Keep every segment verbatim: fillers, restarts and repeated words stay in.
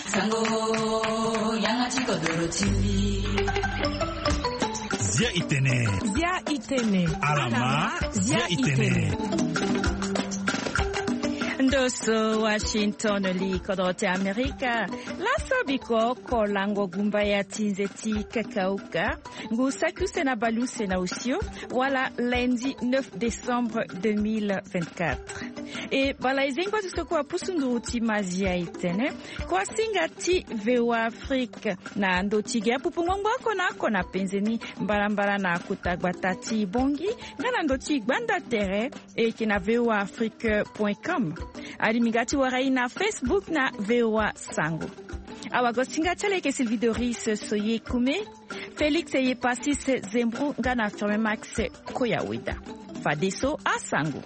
Sango, yanga ti kodoro ti mbi. Zia itene. Zia itene. Alama, zia itene. Ndo so Washington, li kodro ti Amerika. Laso biko oko lango gumba ya ti nze ti kakauka. Ngu saki use na bale use na osio, wala lundi neuf décembre deux mille vingt-quatre. E bala e zengo ti so kue apusu nduru ti mazia e tene. Kua singa ti V O A Afrique na ndo ti ge apupu ngbongboko na oko na penze ni mbalambala na kota gbata ti Bongi, nga na ndo ti gbanda tere e yeke na V O A Afrique point com. Alimi nga ti wara e na Facebook na V O A Sango. Awagosinga ti ala eke Sylvie Doris Soye Kume, Félix Eyepasis Zembro nga na Firme Max Koyaweda. Fadeso asango.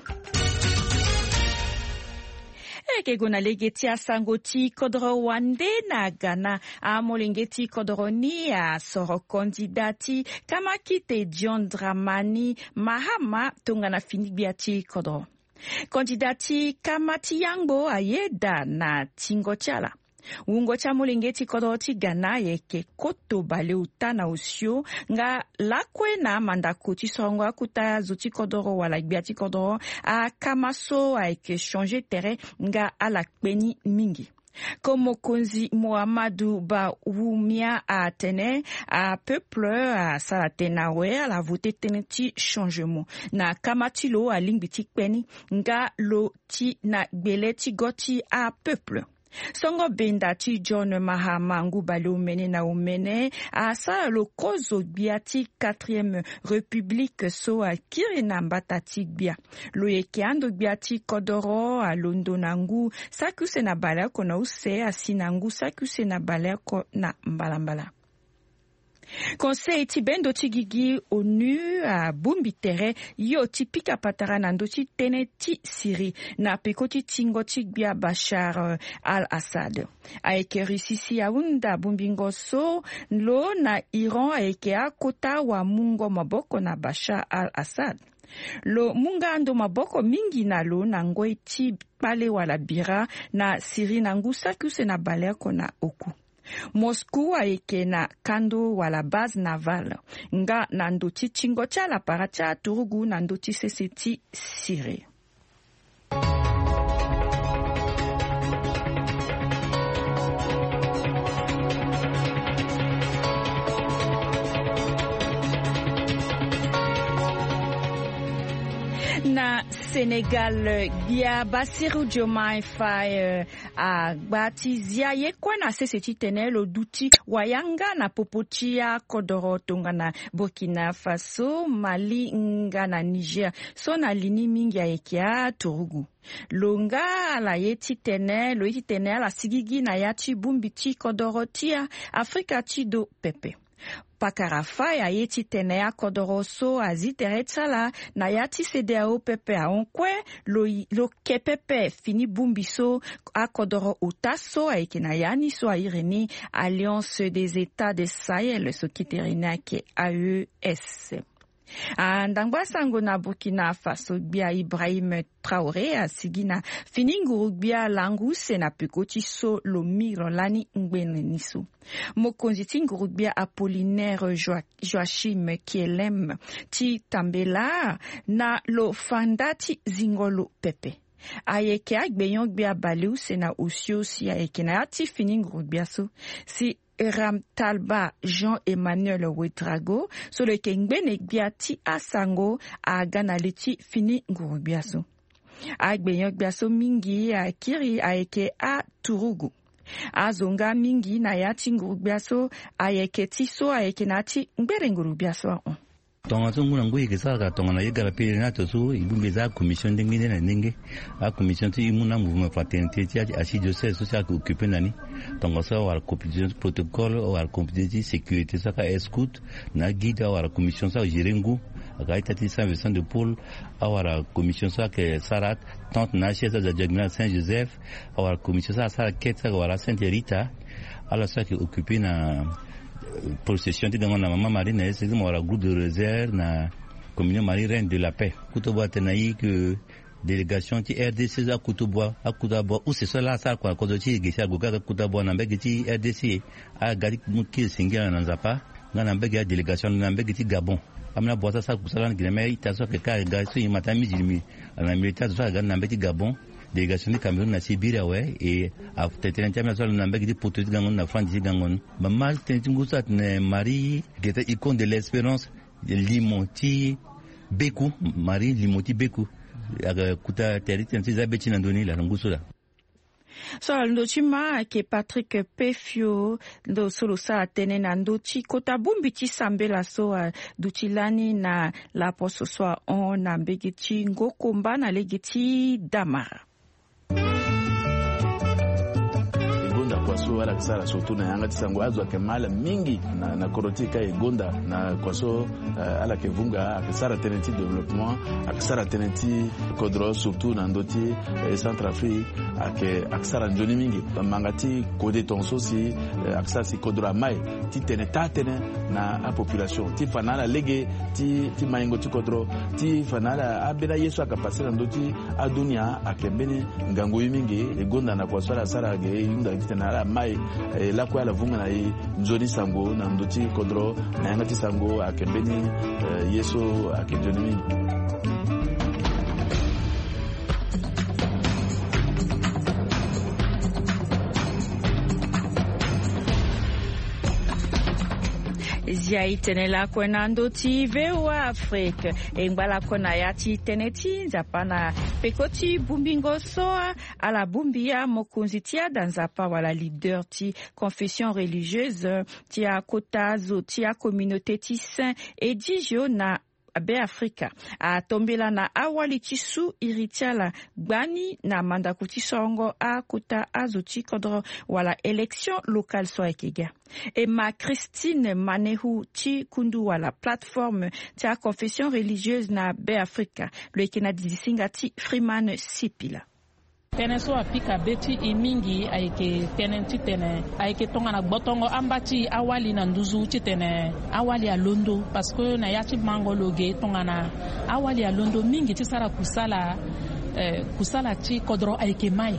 E yeke gue na lege ti asango ti kodoro wande na Ghana. Amolenge ti kodoro ni asoro kandida ti kamakite John Dramani Mahama tongana fini gbia ti kodoro. Kandida ti kama ti yangbo ayeda na tingo ti ala. Wungo ti amolenge ti kodoro ti Ghana ayeke koto baleota na osio nga lakue na amandako ti sorongo akota zo ti kodoro wala gbia ti kodoro akama so ayeke changer tere nga ala kpe ni mingi. Comme mokonzi Mohamadu Bawumia atene, apeuple asara tene awe, ala vote tënë ti changement na kama ti lo alingbi ti kpe ni nga lo ti na gbele ti go ti apeuple. Songo benda ti John Mahama ngu baleomene na omene asara lo kozo gbia ti quatrième république so akiri na mbata ti gbia. Lo yeke ando gbia ti kodoro alondo na ngu saki use na baleoko na use asi na ngu saki use na baleoko na mbalambala. Conseil ti bendo ti gigi onu abongbi tere yo ti pika patara na ndö ti tënë ti Syrie na peko ti tingo ti gbia Bashar al-Assad. Ayeke Russie si ahunda bongbingo so lo na Iran ayeke akota wamungo maboko na Bashar al-Assad. Lo mu nga ando maboko mingi na lo na ngoi ti kpale wala bira na Syrie na ngu saki use na baleoko na oku. Moscou ayeke na kando wala base navale nga na ndo ti tingo ti ala para ti aturugu na ndo ti sese ti Syrie. Na Sénégal, gbia Bassirou Diomaye Faye agba ti zia ye kue na sese titene lo duti wayanga na popo ti akodoro tongana Burkina Faso, Mali nga na Niger so na li ni mingi ayeke aturugu. Lo nga ala ye titene lo ye titene ala sigigi na ya ti bongbi ti kodoro ti Afrika ti do pepe. Pakara Faye aye titene akodoro so azi tere ti ala na ya ti CEDEAO pepe ahon kue lo, lo ke pepe fini bongbi so akodoro ota so ayeke na ya ni so airi ni Alliance des États de Sahel so kete iri ni ayeke A E S. Andangba sango na Burkina Faso, gbia Ibrahim Traoré asigi na fini nguru-gbia langu use na peko ti so lo mi lo lani ngbene ni so. Mokonzi ti nguru-gbia Apollinaire Joa-, Joachim Kielem ti tambela na lo fa nda ti zingo lo pepe. Ayeke agbenyo-gbia bale use na osio si ayeke na ya ti fini nguru-gbia so. Si Ramtalba Jean Emmanuel Ouedraogo so lo yeke ngbene gbia ti asango aga na li ti fini nguru-gbia so. Agbenyo-gbia so mingi akiri ayeke aturugu. Azo nga mingi na ya ti nguru-gbia so ayeke ti so ayeke na ya ti ngbere nguru-gbia so ahon. Tongaso ngu na ngu e yeke sara ka tongana ye gara pele ni ato so e bongbi e za acommission ndenge nde na ndenge. Acommission ti e mu na mouvement fraternité ti archidiocèse so si ayeke occupe na ni. Tongaso awara commission ti protocole, awara commission ti sécurité so aka escoute na aguide, awara commission so agéré ngu, aka ita ti Saint Vincent de Paul, awara commission so ayeke sara tente na asiège so aza diagonal Saint Joseph, awara commission so asara kete so ayeke wara Sainte Rita. Ala so ayeke occupe na procession ti gango na Mama Marie na ye so mo wara groupe de rosaire na communion Marie Reine de la Paix. Kuto bo atene na i ke Délégation ti rdc so akutu bua akutu abua use so ala asara kua na kodro ti e ge si ague kaka akutu abua na mbege ti rdc. Aga ti mu kiri singila na nzapa. Nga na mbege adélégation na mbege ti gabon. Ambeni abua so asara kusala na gi na mê ita so ayeke kâ aga so e ma ti amizilimi. Ala na militar zo so aga na mbege ti gabon. Délégation ti cameroun na sibiri awe. E atene tënë ti ambeni so ala na mbege ti poto ti gango ni na franzi ti gango ni. Mama tënë ti ngu so atene marie geta icône de l'espérance. Limo ti beku. Marie limo ti beku. Aga kuta tere ti tene so e za be ti na ndoni laa na ngu so laa. So ala londo ti ma ayeke patrick pefio. Ndo so lo sara tënë na ndö ti kota bongbi ti sambela so aduti lani na laposo so ahon na mbege ti ngokomba na lege ti damara. E gonda kua so ala yeke sara surtout na yanga ti sango azo ayeke ma ala mingi na kodro ti e ka e gonda na kua so. Ala yeke vunga ayeke sara tënë ti développement. Ayeke sara tënë ti kodro surtout na ndö ti centre afrique. Ayeke sara nzoni mingi. Manga ti kode tongaso si ayeke sara si kodro amai titene taa tënë na apopulation ti fa na ala lege ti maingo ti kodro ti fa na ala ambeni aye so ayeke pase na ndö ti adunia ayeke mbeni ngangu ye mingi. E gonda na kua so ala sara ge e hunda titene ala mai lakue ala vunga na e nzoni sango na ndö ti kodro na yanga ti sango ayeke mbeni ye so ayeke nzoni mingi. Zia e tene lakue na ndö ti voa afrique. E ngba lakue na ya ti tënë ti nzapa na peko ti bongbingo so ala bongbi ya mokonzi ti ada nzapa wala leader ti confession religieuse ti akota zo ti acommunauté ti saint edigio na beafrika. Atombela na awali ti su iri ti ala gbani na mandako ti sorongo akota azo ti kodro wala élection locale so ayeke ga. E ma christine manehu ti kundu wala plateforme ti aconfession religieuse na beafrika. Lo yeke na didisinga ti freeman sipila. Tënë so apika be ti e mingi ayeke tënë titene ayeke tongana gbotongo amba ti e awali na nduzu titene awali alondo parce que na ya ti mango lo ge tongana awali alondo mingi ti sara kusala. Kusala ti kodro ayeke mai.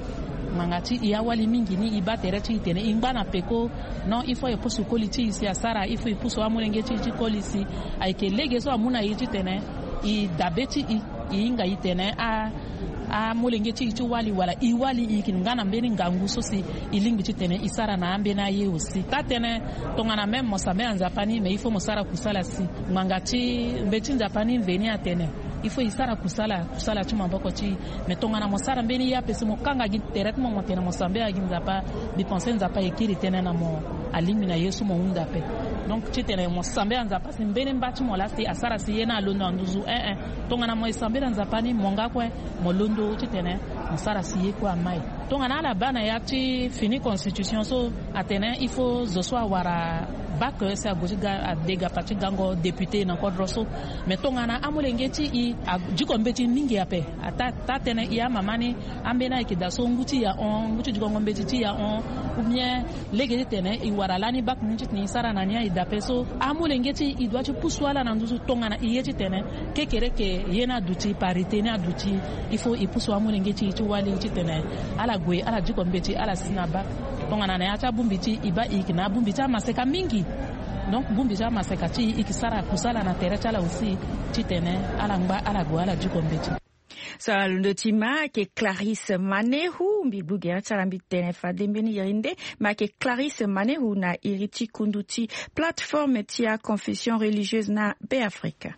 Ngbanga ti e awali mingi ni e baa tere ti e tene e ngba na peko. Non il faut e pusu koli ti e si asara il faut e pusu amolenge ti e ti koli si ayeke lege so amu na e titene e dabe ti e. E hinga e tene a amolenge ti e ti wali wala e wali e yeke nga na mbeni ngangu so si e lingbi titene e sara na ambeni aye aussi taa tënë. Tongana même mo sambela nzapa ni mais il faut mo sara kusala si ngbanga ti mbeti nzapa ni mveni atene il faut e sara kusala kusala ti maboko ti e. Mais tongana mo sara mbeni ye ape si mo kanga gi tere ti mo mo tene mo sambela gi nzapa mbi pense nzapa e kiri tënë na mo. Alingbi na ye so mo hunda ape. Donc titene mo sambela nzapa si mbeni mba ti mo laa si asara si ye ni alondo na nduzu eh eh. Tongana mo e sambela nzapa ni mo nga kue mo londo titene mo sara si ye kue amai. Tongana ala baa na ya ti fini constitution so atene il faut zo so awara bac si ague ti ga adega pa ti gango député na kodro so. Mais tongana amolenge ti e adiko mbeti mingi ape ata taa tënë e amama ni ambeni ayeke daa so ngu ti e ahon ngu ti dikongo mbeti ti e ahon. Ou bien lege titene e wara lani bac ni titene e sara na ni aye dape so amolenge ti e e doit ti pusu ala na nduzu tongana e ye titene kekereke ye ni aduti parité ni aduti. Il faut e pusu amolenge ti e ti wali titene ala gue ala diko mbeti ala si na bac. Tongana na ya ti abongbi ti e e baa e yeke na abongbi ti amaseka mingi. Donc bongbi ti amaseka ti e e yeke sara kusala na tere ti ala aussi titene ala ngba ala gue ala diko mbeti. So alondo ti ma ayeke clarisse manehu mbi gbu gere ti ala mbi tene fade mbeni iri nde. Ma ayeke clarisse manehu na iri ti kundu ti plateforme ti aconfession religieuse na beafrika.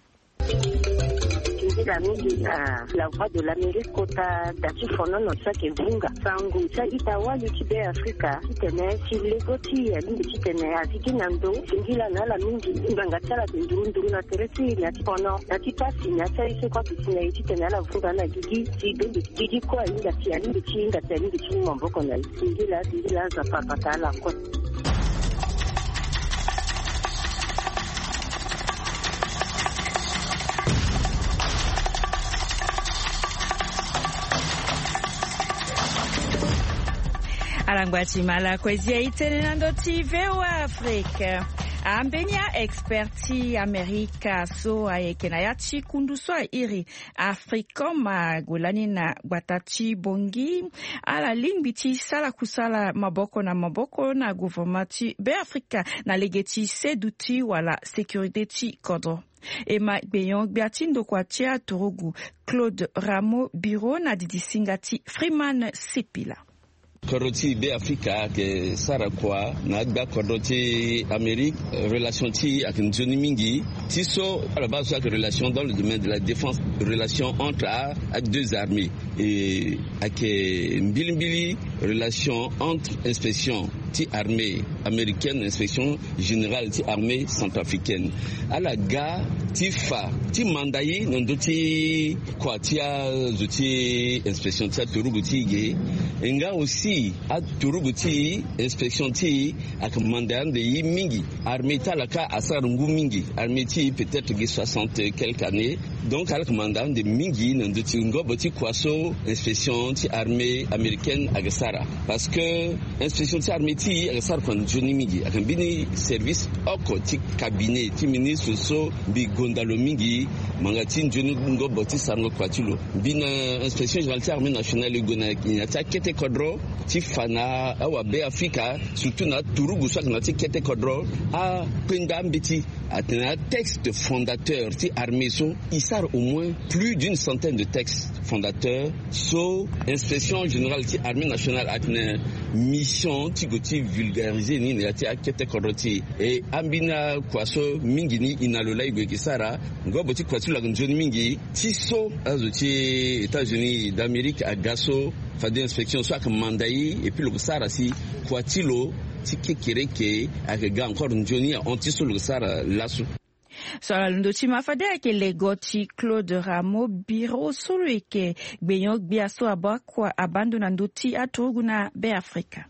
Nzila mingi na la voix de l'amérique kota da ti fonono so ayeke vunga sango ti a-ita wali ti beafrika titene ti lego ti e alingbi titene azi gi na ndo singila na ala mingi. Ngbanga ti ala ayeke nduru nduru na tere ti e na ti fono na ti pasi na ya ti aye so kue ayeke si na e titene ala vunga na gigi si bembe ti gigi kue ahinga si alingbi ti hinga si alingbi ti mu maboko na e. Singila singila nzapa abata ala kue. Ala ngba ti ma lakue zia e tene na ndö ti voa afrique. Ambeni a-expert ti amerika so ayeke na ya ti kundu so airi africom ague lani na gbata ti bongi. Ala lingbi ti sara kusala maboko na maboko na gouvernement ti be afrika na lege ti seduti wala sécurité ti kodro. E ma gbenyon gbia ti ndokua ti aturugu claude ramo biro na didi singa ti freeman sipila. Kodro ti be afrika ayeke sara kua na agba kodro ti amérique. Relation ti ayeke nzoni mingi ti so ala baa so ayeke relation dans le domaine de la défense, relation entre a deux armées. E ayeke mbilimbili relation entre inspection ti armée américaine, inspection générale ti armée centrafricaine. Ala ga ti fa ti manda ye na ndö ti kua ti azo ti inspection ti aturugu ti e ge. E nga aussi aturugu ti inspection ti e ayeke manda ande ye mingi. Armée ti ala kâ asara ngu mingi. Armée ti e peut-être gi soixante quelque années. Donc ala yeke manda ande mingi na ndö ti ngobo ti kua so inspection ti armée américaine ayeke sara. Parce que inspection ti armée ti e ayeke sara kua nzoni mingi. Ayeke mbeni service oko ti cabinet ti ministre so mbi gonda lo mingi. Ngbanga ti nzoni ngobo ti sarango kua ti lo. Mbi na inspection générale ti armée nationale e gue na nginza ti akete kodro ti fa na awabe afrika surtout na aturugu so ayeke na ya ti kete kodro. Akpenda ambeti atene atexte fondateur ti armée so e sara au moins plus d'une centaine de textes fondateurs. So inspection générale ti armée nationale atene mission ti gue ti vulgariser ni na ya ti akete kodro ti e. E ambeni akua so mingi ni e na lo laa e gue e ke sara. Ngobo ti kua ti lo ayeke nzoni mingi ti so azo ti états-unis d'amérique aga so fade inspection so ayeke manda ye. Et puis lo ke sara si kua ti lo ti kekereke ayeke ga encore nzoni ahon ti so lo ke sara laso. So ala londo ti ma fade ayeke lego ti claude ramo biro so lo yeke gbenyon gbia so abaa kua abaa ndo na ndö ti aturugu na be afrika.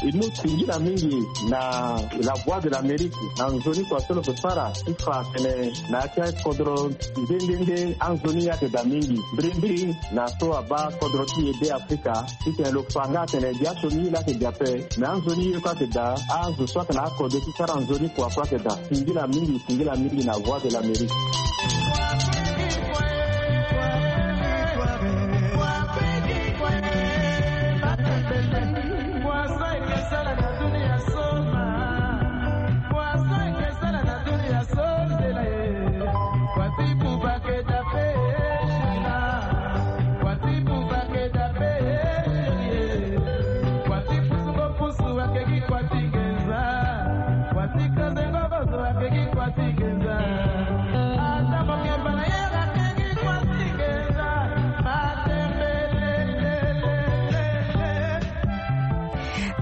E mu singila mingi na la voie de l'amérique na nzoni kua so lo ke sara ti fa atene na ya ti akodro nde nde nde anzoni ye ayeke daa mingi mbirimbiri na so abaa kodro ti e be afrika. Titene lo fa nga atene biaso ni ye laa ayeke daa ape. Me anzoni ye kue ayeke daa azo so ayeke na akode ti sara nzoni kua kue ayeke daa. Singila mingi singila mingi na voie de l'amérique.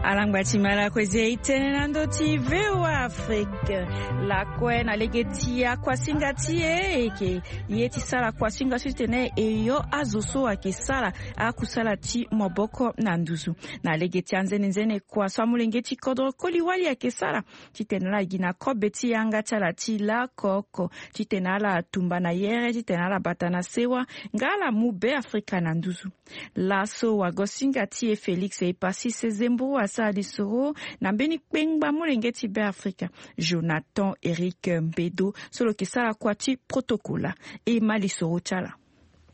Alangba ti mala kue zie itene na ndo ti voa afrique. Lakue na lege ti akuasinga ti e eke ye ti sara kuasinga so titene e yo azo so ayeke sara akusala ti maboko na nduzu. Na lege ti anzenenzene kua so amolenge ti kodro koli wali ayeke sara titene ala gi na kobe ti yanga ti ala ti lakoko titene ala tumba na yere titene ala bata na sewa nga ala mu be afrika na nduzu. Laso wagosinga ti e félix epassis zembourou asara lisoro na mbeni kpengba molenge ti be afrika jonathan eric mbedo so lo yeke sara kua ti protokola. E ma lisoro ti ala.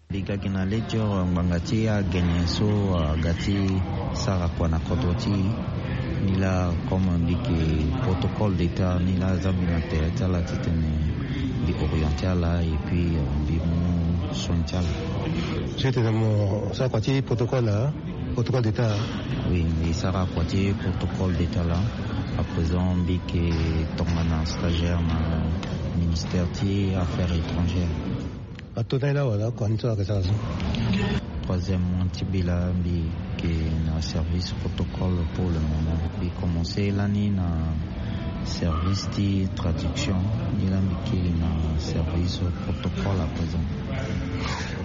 Mbi ga gi na lejor ngbanga ti agene so aga ti sara kua na kodro ti e. Ni laa comme mbi yeke protocole d'état ni laa aza mbi na tere ti ala titene mbi oriente ala et puis mbi mu soin ti ala. Titene mo sara kua ti protocole. Protocole d'état. Oui, mbi sara kua ti protocole d'état laa. À présent mbi yeke tongana stagiaire na ministère ti affaires étrangères. Ato na ye laa wala kua ni so ayeke sara so. Troisième mois ti mbi laa mbi yeke na service protocole pour le moment. Mbi commence lani na service ti traduction. Ni laa mbi kiri na service protocole à présent.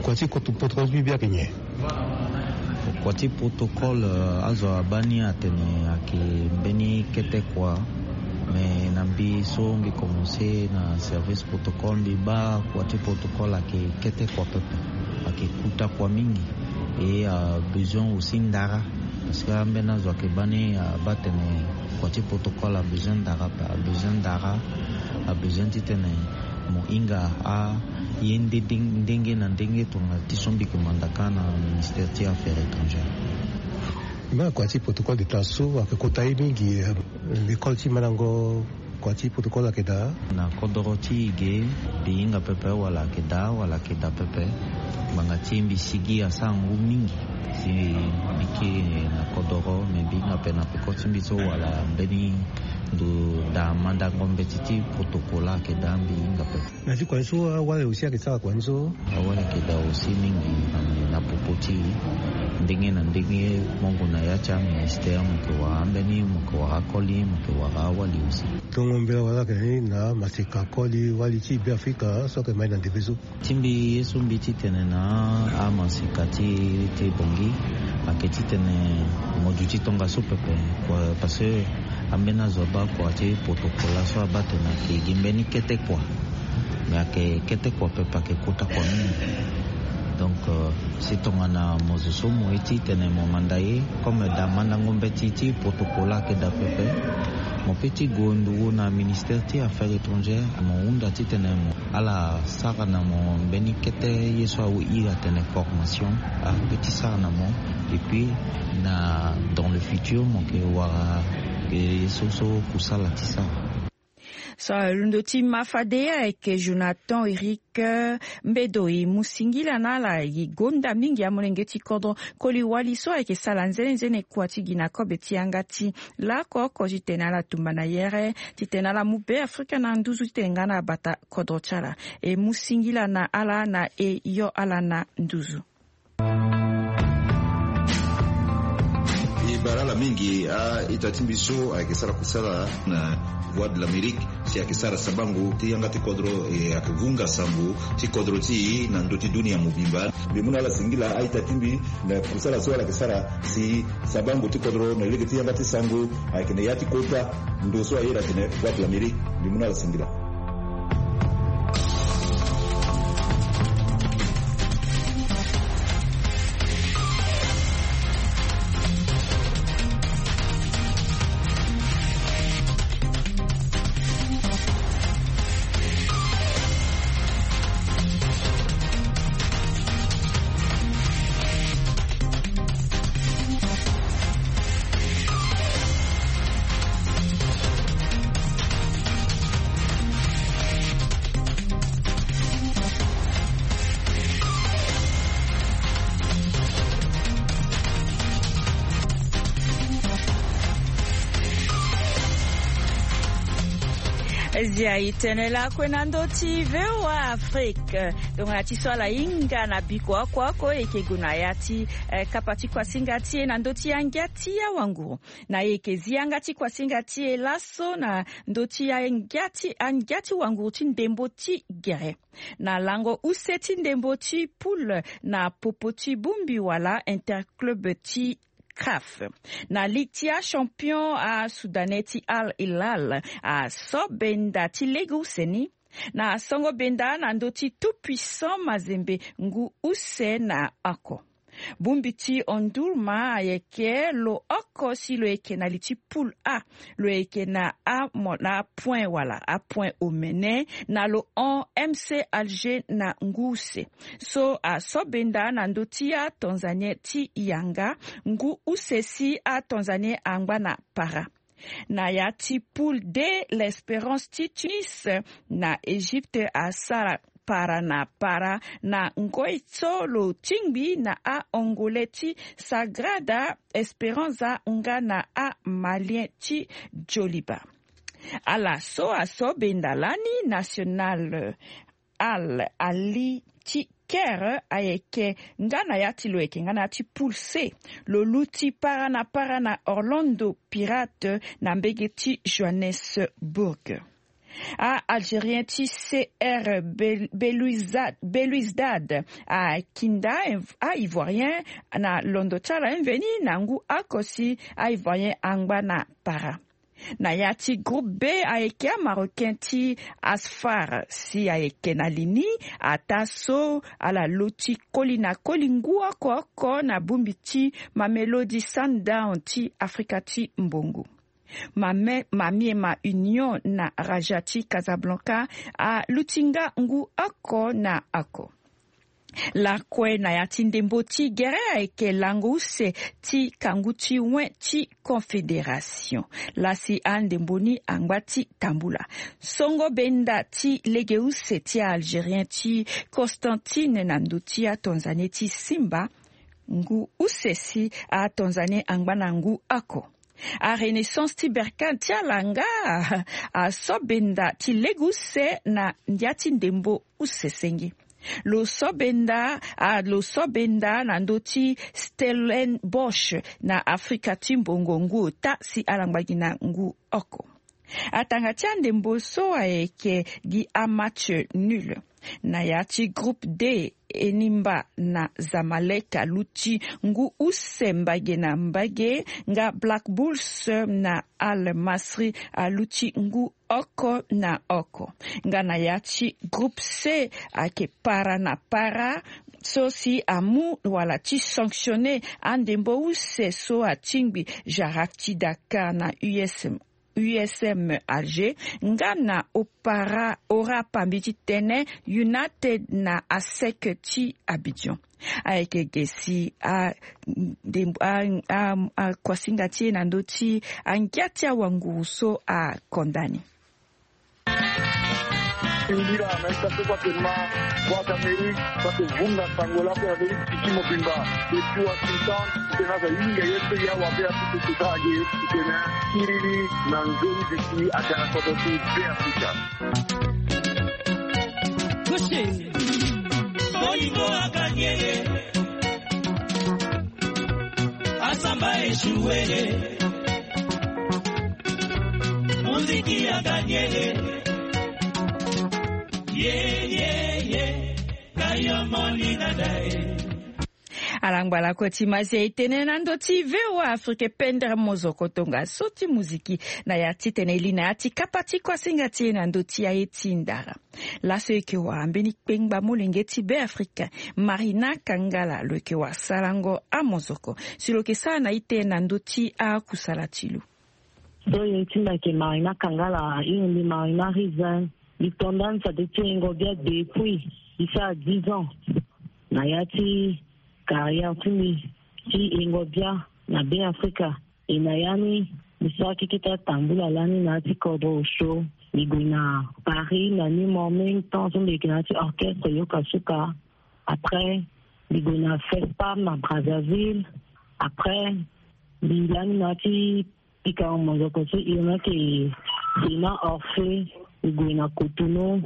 Kua ti protocole ti mbi mbi ayeke nyen? Kua ti protocole azo abaa ni atene ayeke mbeni kete kua. Mais na mbi so mbi commence na service protocole mbi baa kua ti protocole ayeke kete kua pepe. Ayeke kuta kua mingi. E abezoin aussi ndara. Parce que ambeni azo ayeke baa ni abaa atene Kua ti protocole abezoin ndara abezoin ndara abezoin titene mo hinga aye ndenge na ndenge tongana ti so mbi ke manda kâ na ministère ti affaires étrangères. Mbi ma kua ti protocole d'état so ayeke kota ye mingi. Lekole ti mandango kua ti protocole ayeke daa. Na kodoro ti e ge mbi hinga pepe wala ayeke daa wala ayeke daa pepe. Ngbanga ti mbi sigi asara ngu mingi. Si mbi kiri na kodoro me mbi hinga pe na peko ti mbi so wala mbeni ndo daa mandango mbeti ti protocole ayeke daa mbi hinga pe. Na ti kua ni so awale aussi ayeke sara kua ni so. Awale ayeke daa aussi mingi na popo ti e. Ndenge na ndenge mo gue na ya ti aministère mo yeke wara ambeni mo yeke wara akoli mo yeke wara awali aussi. Tongo mbela wala ayeke na ni na maseka koli wali ti be afrika so ayeke mai na ndembe so. Ti mbi ye so mbi titene na amaseka ti ti bongi ayeke titene mo duti tongaso pepe. Parce que ambeni azo abaa kua ti protocole laso abaa tene ayeke gi mbeni kete kua. Mais ayeke kete kua pepe ayeke kota kua mingi. Donc si tongana mo zo so mo ye titene mo manda ye comme daa mandango mbeti ti protocole ayeke daa pepe. Mo pe ti gue nduru na ministère ti affaires étrangères mo hunda titene mo ala sara na mo mbeni kete ye so awe iri atene formation. Ape ti sara na mo. Et puis na dans le futur mo yeke wara ye so so kusala ti sara. So alondo ti ma fade ayeke jonathan eric mbedo e mu singila na ala e gonda mingi amolenge ti kodro koli wali so ayeke sara nzene nzene kua ti gi na kobe ti yanga ti lako oko titene ala tumba na yere titene ala mu be afrika na nduzu titene nga na abata kodro ti ala e mu singila na ala na e yo ala na nduzu. E bara ala mingi a-ita ti mbi so ayeke sara kusala na voie de l'amérique si ayeke sara sabango ti yanga ti kodro e ayeke vunga sango ti kodro ti e na ndö ti dunia mobimba. Mbi mu na ala singila a-ita ti mbi na kusala so ala yeke sara si sabango ti kodro na lege ti yanga ti sango ayeke na ya ti kota ndo so ayeda atene voie de l'amérique. Mbi mu na ala singila. Zia e tene lakue na ndö ti voa afrique. Tongana ti so ala hinga na biko oko oko e yeke gue na ya ti kapa ti kuasinga ti e na ndö ti angia ti awanguru. Na e yeke zi yanga ti kuasinga ti e laso na ndö ti angia ti wanguru ti ndembo ti gere na lango use ti ndembo ti poule na popo ti bongbi wala interclub ti caf. Na ligue ti achampion asoudanais ti al hilal aso benda ti lege use ni na songo benda na ndö ti tout puissant mazembe ngu use na oko. Bongbi ti ondulma ayeke lo oko si lo yeke na li ti poule a. Lo yeke na apoint wala apoint omene na lo hon mc alger na ngu use so aso benda na ndö ti atanzanien ti yanga ngu use si atanzanien angba na para. Na ya ti poule de l'espérance ti tunis na egypte asara para na para na ngoi so lo tingbi na angolais ti sagrada esperanza nga na amalien ti joliba. Ala so aso benda lani national al ali ti kere ayeke nga na ya ti lo yeke nga na ya ti poule c. Lo luti para na para na orlando pirate na mbege ti johannesburg. Aalgérien ti cr beluizdad akinda aivoirien na londo ti ala mveni na ngu oko si aivoirien angba na para. Na ya ti groupe b ayeke amarocain ti asfar si ayeke na li ni ata so ala loti koli na koli ngu oko oko na bongbi ti mamelodi sundown ti afrika ti mbongo. Mame mamiema union na raja ti Casablanca aluti nga ngu oko na oko. Lakue na ya ti ndembo ti gere ayeke lango use ti kangu ti wen ti confédération. Lasi andembo ni angba ti tambula songo benda ti lege use ti algérien ti Constantine na ndö ti atanzanie ti simba ngu use si atanzanie angba na ngu oko. Arenaissance ti berkane ti ala nga aso benda ti lege use na ndia ti ndembo use senge. Lo so benda a lo so benda na ndö ti Stellenbosch na Afrika ti mbongo ngu ota si ala ngba gi na ngu oko. Atanga ti andembo so ayeke gi amatch nul. Na ya ti groupe D, Enimba na Zamalek aluti ngu use mbage na mbage nga Black Bulls na Al Masri aluti ngu oko na oko. Nga na ya ti groupe C ayeke para na para so si amu wala ti sanctionner andembo use so atingbi Jarak ti Dakar na U S M U S M Alger nga na opara ora pambi ti tene United na asec ti Abidjan. Ayeke ge si a akuasinga ti e na ndö ti angia ti awanguru so akonda ni. Mbira na ita so kua ke ma kua ka meri kua ke vunga sango lako ya beri tiki mobimba. Depuis Washington, tena za yinga ye pe ya wa be Afrika ti ta age tena kiriri na nzoni bisi atena kodo ti be Afrika. Kushe bolingo akangele asamba esuwele. Muziki ya Daniele. Ye, ye, ye. Kayo moni na dae. Alangba lako ti mazi ya etene na ndö ti V O A Afrique pendere mozoko tongaso ti muziki na ya titene e li na ya ti kapa ti kuasinga ti e na ndö ti aye ti ndara. Laso e yeke wara mbeni kpengba molenge ti Beafrika, Marina Kangala, lo yeke wara sarango amozoko si lo yeke sara na ite na ndö ti akusala ti lo. So ye ti mbi ayeke Marina Kangala, iri mbi Marina Rizin. Mbi to ndani fade ti yengo bia depuis mbi sara dix ans na ya ti carrière ti mbi ti yengo bia na Beafrika. E na ya ni mbi sara keke ti atambula lani na ya ti kodro osio. Mbi gue na Paris na ni mo même temps so mbi yeke na ya ti orchestre Yoka Suka. Après mbi gue na Fespam na Brazzaville. Après mbi lani na ya ti pika mozoko so e yeke Sena Orphée. Mbi gue na Cotonou.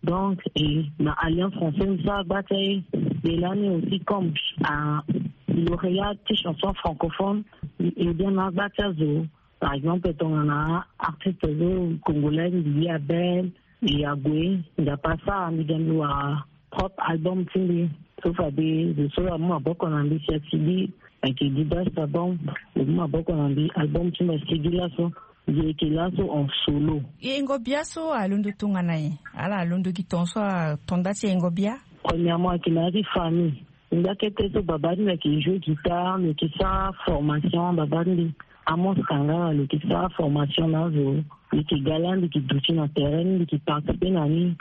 Donc e na Alliance Française mbi sara gba ti aye. Mbi lani aussi comme a lauréate ti chanson francophone. Mbi e bien na agba ti azo. Par exemple tongana artiste zo congolais mbi ye abel. E ague nzapa asara mbi ga mbi wara propre album ti mbi. So fade zo so amu maboko na mbi si asigi. Ayeke didas album. Lo mu maboko na mbi album ti mbi asigi laso. Mbi yeke laso en solo. Yengo bia so alondo tongana nyen? Ala alondo gi ton so ato nda ti yengo bia. Premièrement ayeke na ya ti famille. Ngbakete so baba ti mbi ayeke joue guitare mbi yeke sara formation baba ti mbi. Amos Kangala lo yeke sara formation na azo. Mbi yeke ga lani mbi yeke duti na terrain ni mbi yeke participer na ni.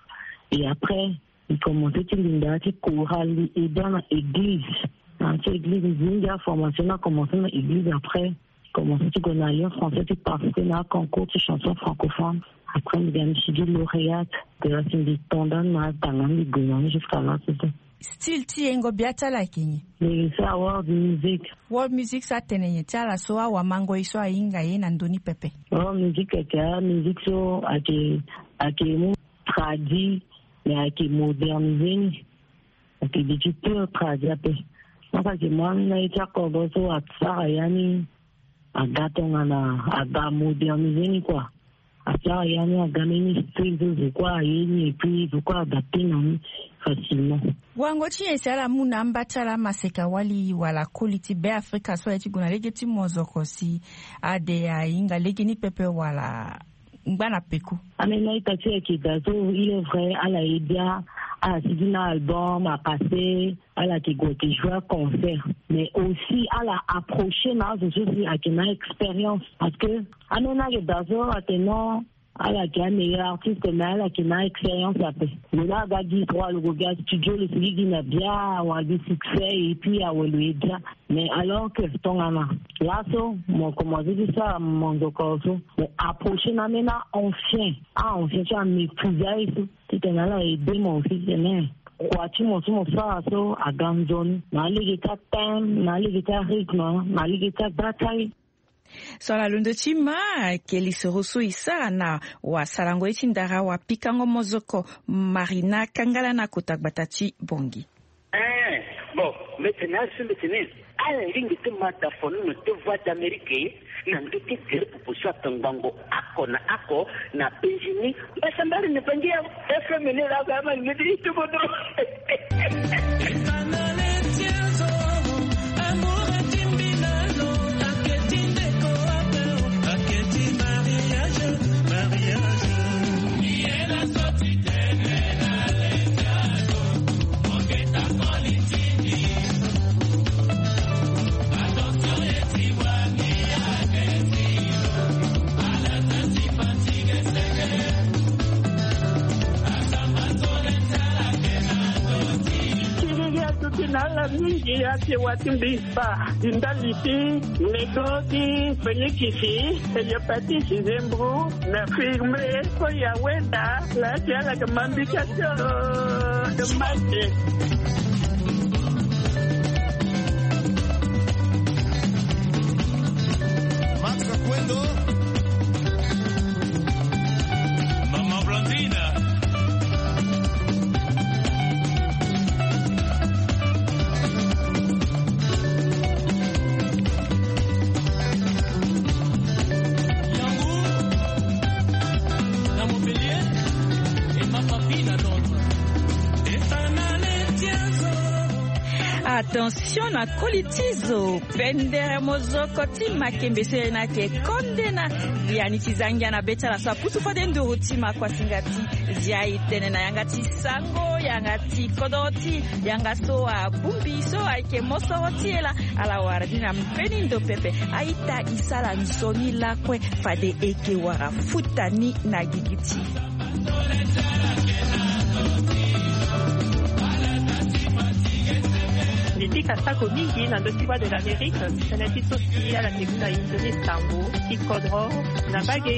Et après mbi commencer ti linda ti chorale mbi aida na église. Na ya ti église mbi zi mingi aformation ni akommence na église après. Commencer ti gue na Alliance Française ti participer na aconcours ti chanson francophone. Après mbi ga mbi sigi lauréate. Te la si mbi to ndani na atanga ni mbi gue na ni jusqu'à laso so. Style ti yengo bia ti ala ayeke nyen? Mbi sara world music. World music so atene nyen ti ala so awamangoi so ahinga ye na ndö ni pepe? World music ayeke amusique so ayeke ayeke mu tradi. Mais ayeke modernise ni. Ayeke duti pure tradi ape. Donc ayeke mu amina ye ti akobo so asara ya ni. Aga tongana aga modernise ni kua. Asara ya ni aga mbeni style so zo kue aye ni et puis zo kue adapte na ni facilement. Wango ti nyen si ala mu na amba ti ala amaseka wali wala koli ti Beafrika so aye ti gue na lege ti mozoko si ade ahinga lege ni pepe wala ngba na peko? Amena ita ti ayeke da so il est vrai ala ye bia. Ala sigi na album, a passé, ala yeke gue yeke jouer concert. Mais aussi ala approcher na azo so si ayeke na expérience, parce que amena ayeke daa so atene non, ala yeke ameilleur artiste, mais ala yeke na expérience ape. Lo laa aga gi trois, lo gue gi astudio, lo sigi gi na bia, awa gi succès, et puis awe lo ye bia. Mais alors que tongana laso mo commencé ti sara monzoko so, mo approcher na amena ancien, a ancien so améprise aye so, titene ala aider mo aussi tene kua ti mo so mo sara so aga nzoni na alege ti athème, na alege ti arythme, na alege ti abata ye. So ala londo ti ma ayeke lisoro so e sara na wasarango ye ti ndara wapikango mozoko Marina Kangala na kota gbata ti Bangui. Eh, bon, mbi tene azo so mbi tene ala lingbi ti ma da fono na te Voix d'Amérique na ndö ti gere popo so atongbango oko na oko na Benjini. Mbasambari na Bangui ya. F M ni la ga ma ni di tu bodo. Kiriri aduti na ala mingi, ake wa ti mbi spa, ndali ti nego ti fenikisi, hepatite, zembro, na firme, so ya weda, la ti ala ke mambi ka ti, oh, de mate. Max Akwendo. Mama Blandina. Yango na Montpellier, Emma Papi na Londres. Attention na koli ti zo. Pendere mozoko ti makembe so ena ke konde na yani ti zangia na be ti ala so apusu fade nduru ti ma kuasinga ti zia e tene na yanga ti sango, yanga ti kodoro ti yanga so abongbi so ayeke mosoro ti e laa. Ala wara ni na mbeni ndo pepe. A-ita, e sara nzoni lakue fade e ke wara futa ni na gigi ti e. Mbi pika sako mingi na ndö ti Voix de l'Amérique, tënë ti so si ala ke mu na e nzoni sango ti kodro na mbage,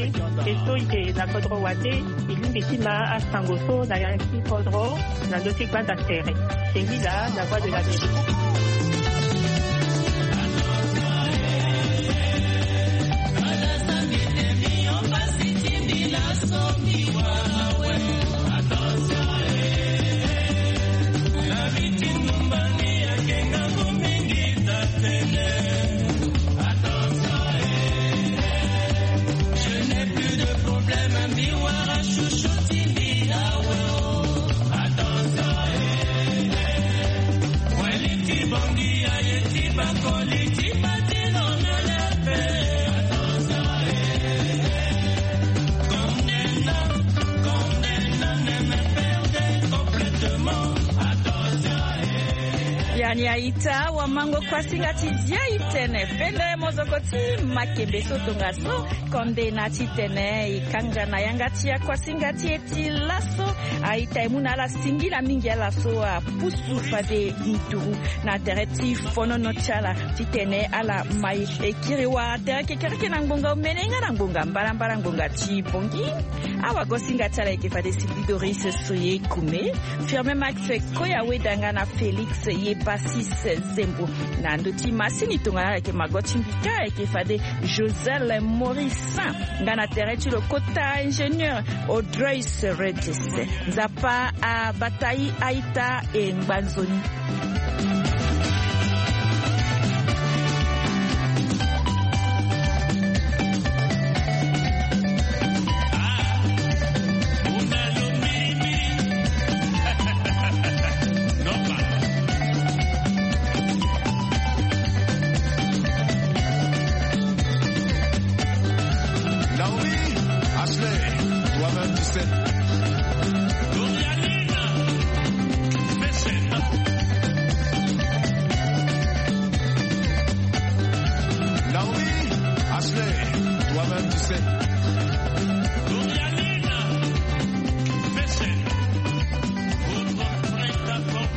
e so e ke na kodro wande, e lingbi ti ma asango so na yanga ti kodro na ndö ti gbanda tere. Singila na Voix de l'Amérique. Yani a-ita, wamango kuasinga ti zia e tene pendere mozoko ti makembe so tongaso konde na titene e kanga na yanga ti akuasinga ti e ti laso. A-ita, e mu na ala singila mingi ala so apusu fade nduru na tere ti fonono ti ala titene ala mai e kiri wara tere kekereke na ngbonga omene nga na ngbonga mbalambala ngbonga ti Bangui. Awagosinga ti ala e ke fade Sylvie Doris Soye Kume, Firmin Max Koya Wedanga na Félix Yepasis Zembo. Na ndö ti masini tongana ala yeke mago ti mbi kâ, ayeke fade Joselle Morissin, nga na tere ti lo kota ingénieur Audrey Seredes. Nzapa abata e, a-ita, e ngba nzoni.